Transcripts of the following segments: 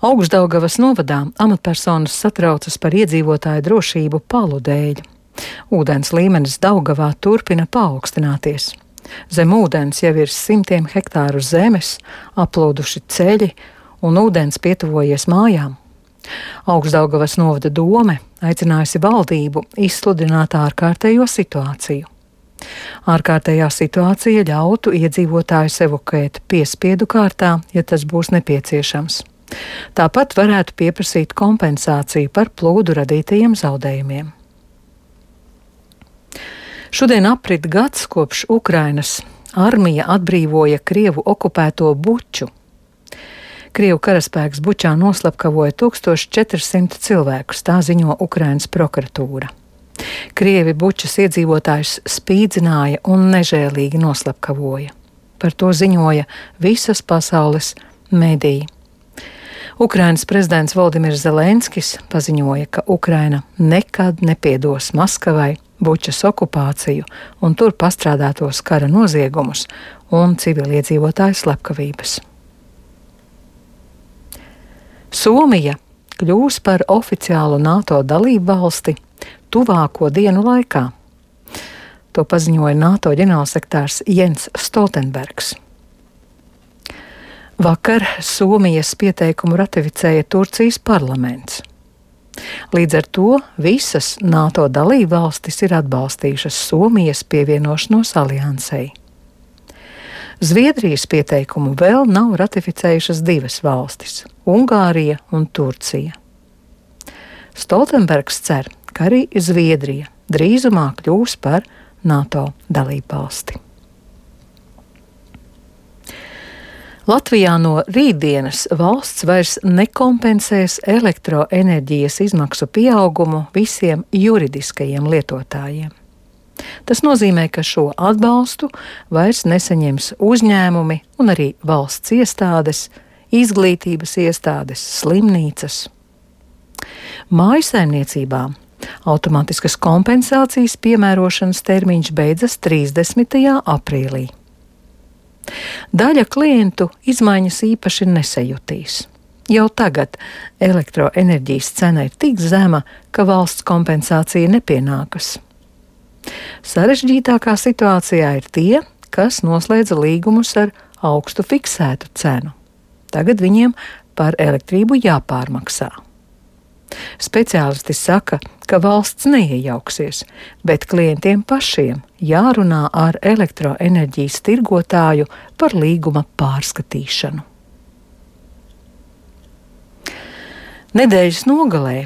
Augšdaugavas novadā amatpersonas satraucas par iedzīvotāju drošību palu dēļ. Ūdens līmenis Daugavā turpina paaugstināties. Zem ūdens jau ir simtiem hektāru zemes, aplūduši ceļi un ūdens pietuvojies mājām. Augšdaugavas novada dome aicinājusi valdību izsludināt ārkārtējo situāciju. Ārkārtējā situācija ļautu iedzīvotājus evakuēt piespiedu kārtā, ja tas būs nepieciešams. Tāpat varētu pieprasīt kompensāciju par plūdu radītajiem zaudējumiem. Šodien aprit gads, kopš Ukrainas armija atbrīvoja Krievu okupēto Buču. Krievu karaspēks Bučā noslapkavoja 1400 cilvēkus, tā ziņo Ukrainas prokuratūra. Krievi Bučas iedzīvotājus spīdzināja un nežēlīgi noslapkavoja. Par to ziņoja visas pasaules mediji. Ukrainas prezidents Voldimirs Zelenskis paziņoja, ka Ukraina nekad nepiedos Maskavai Bučas okupāciju un tur pastrādātos kara noziegumus un civiliedzīvotāju slepkavības. Somija kļūs par oficiālu NATO dalību valsti tuvāko dienu laikā. To paziņoja NATO ģenerālsekretārs Jens Stoltenbergs. Vakar Somijas pieteikumu ratificēja Turcijas parlaments. Līdz ar to visas NATO dalībvalstis ir atbalstījušas Somijas pievienošanos aliansei. Zviedrijas pieteikumu vēl nav ratificējušas divas valstis – Ungārija un Turcija. Stoltenbergs cer, ka arī Zviedrija drīzumā kļūs par NATO dalībvalsti. Latvijā no rītdienas valsts vairs nekompensēs elektroenerģijas izmaksu pieaugumu visiem juridiskajiem lietotājiem. Tas nozīmē, ka šo atbalstu vairs nesaņems uzņēmumi un arī valsts iestādes, izglītības iestādes, slimnīcas. Mājasaimniecībām automātiskas kompensācijas piemērošanas termiņš beidzas 30. aprīlī. Daļa klientu izmaiņas īpaši nesajutīs. Jau tagad elektroenerģijas cena ir tik zema, ka valsts kompensācija nepienākas. Sarežģītākā situācijā ir tie, kas noslēdza līgumus ar augstu fiksētu cenu. Tagad viņiem par elektrību jāpārmaksā. Speciālisti saka, ka valsts neiejauksies, bet klientiem pašiem jārunā ar elektroenerģijas tirgotāju par līguma pārskatīšanu. Nedēļas nogalē,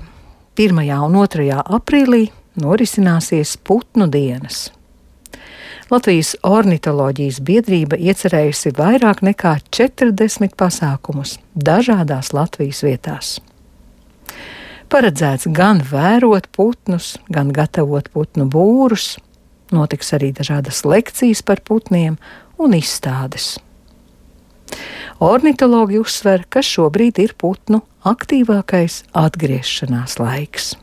1. un 2. aprīlī, norisināsies putnu dienas. Latvijas ornitoloģijas biedrība iecerējusi vairāk nekā 40 pasākumus dažādās Latvijas vietās. Paredzēts gan vērot putnus, gan gatavot putnu būrus, notiks arī dažādas lekcijas par putniem un izstādes. Ornitologi uzsver, ka šobrīd ir putnu aktīvākais atgriešanās laiks.